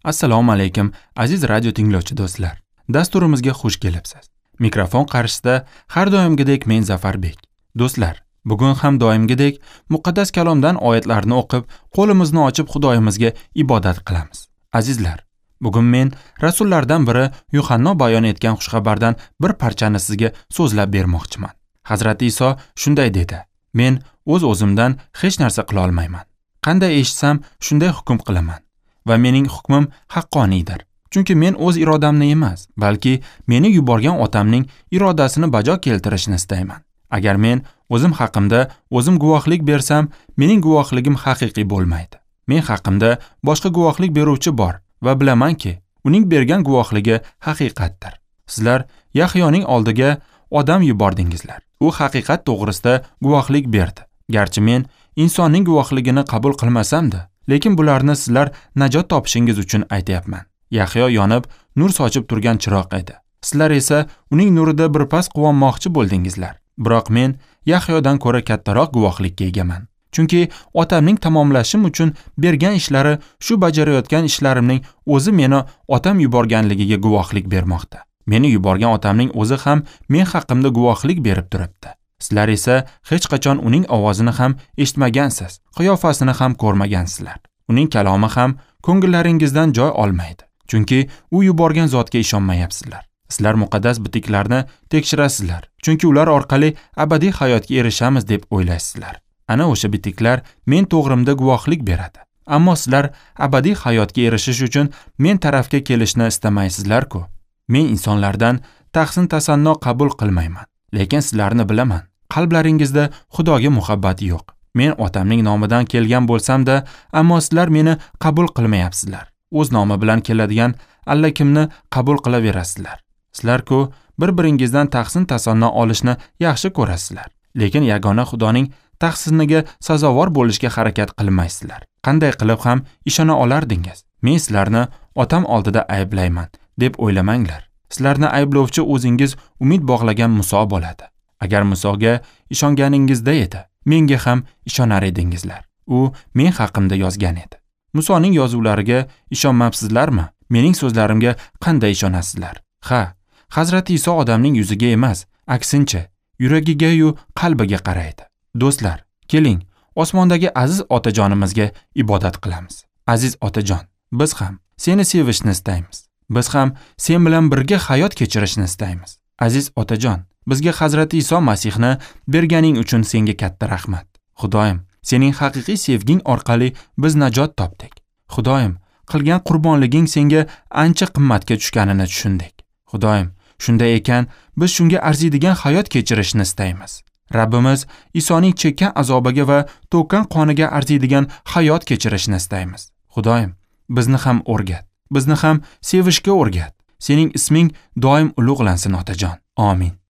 Assalomu alaykum, aziz radio tinglovchi do'stlar. Dasturimizga xush kelibsiz. Mikrofon qarshisida har doimgidek men Zafarbek. Do'stlar, bugun ham doimgidek muqaddas kalomdan oyatlarni o'qib, qo'limizni ochib Xudoyimizga ibodat qilamiz. Azizlar, bugun men rasullardan biri Yuhanno bayon etgan xushxabardan bir parchani sizga so'zlab bermoqchiman. Hazrati Iso shunday dedi: Men o'z-o'zimdan hech narsa qila olmayman. Qanday eshitsam, shunday hukm qilaman va mening hukmim haqqoniydir. Chunki men o'z irodamni emas, balki meni yuborgan otamning irodasini bajo keltirishni istayman. Agar men o'zim haqimda o'zim guvohlik bersam, mening guvohligim haqiqiy bo'lmaydi. Men haqimda boshqa guvohlik beruvchi bor va bilamanki, uning bergan guvohligi haqiqatdir. Sizlar Yahyoning oldiga odam yubordingizlar. U haqiqat to'g'risida guvohlik berdi. Garchi men insonning guvohligini qabul qilmasam-da, lekin bularni sizlar najot topishingiz uchun aytayapman. Yahyo yonib, nur sochib turgan chiroq edi. Sizlar esa uning nurida birpas quvonmoqchi bo'ldingizlar. Biroq men Yahyodan ko'ra kattaroq guvohlikka egaman. Chunki otamning tamomlashim uchun bergan ishlari, shu bajarayotgan ishlarimning o'zi meni otam yuborganligiga guvohlik bermoqda. Meni yuborgan otamning o'zi ham men haqimda guvohlik berib turibdi. Sizlar esa hech qachon uning ovozini ham eshitmagansiz, qiyofasini ham ko'rmagansizlar. Uning kalomi ham ko'ngillaringizdan joy olmaydi. Chunki u yuborgan zotga ishonmayapsizlar. Sizlar muqaddas bitiklarni tekshirasizlar, chunki ular orqali abadiy hayotga erishamiz deb o'ylaysizlar. Ana o'sha bitiklar men to'g'rimda guvohlik beradi. Ammo sizlar abadiy hayotga erishish uchun men tarafga kelishni istamaysizlar-ku. Men insonlardan tahsin tasanno qabul qilmayman, lekin sizlarni bilaman. Qalblaringizda Xudoga muhabbat yo'q. Men otamning nomidan kelgan bo'lsam-da, ammo sizlar meni qabul qilmayapsizlar. O'z nomi bilan keladigan allakimni qabul qilaverasizlar. Sizlar-ku bir-biringizdan tahsin tasanno olishni yaxshi ko'rasizlar, lekin yagona Xudoning tahsiniga sazovor bo'lishga harakat qilmaysizlar. Qanday qilib ham ishona olardingiz? Men sizlarni otam oldida ayblayman deb o'ylamanglar. Sizlarni ayblovchi o'zingiz umid bog'lagan Muso bo'ladi. Agar Musoga ishonganingizda edi, menga ham ishonar edingizlar. U men haqimda yozgan edi. Musoning yozuvlariga ishonmabsizlarmi? Mening so'zlarimga qanday ishonasizlar? Ha, Hazrati Iso odamning yuziga emas, aksincha, yuragiga-yu qalbiga qaraydi. Do'stlar, keling, osmondagi aziz otajonimizga ibodat qilamiz. Aziz otajon, biz ham seni sevishni istaymiz. Biz ham sen bilan birga hayot kechirishni istaymiz. Aziz otajon, bizga Hazrati Iso Masihni berganing uchun senga katta rahmat. Xudoyim, sening haqiqiy sevging orqali biz najot topdik. Xudoyim, qilgan qurbonliging senga ancha qimmatga tushganini tushundik. Xudoyim, shunday ekan, biz shunga arziydigan hayot kechirishni istaymiz. Rabbimiz Isoning chekkan azobiga va to'kkan qoniga arziydigan hayot kechirishni istaymiz. Xudoyim, bizni ham o'rgat. Bizni ham sevishga o'rgat. Sening isming doim ulug'lansin, otajon. Amin.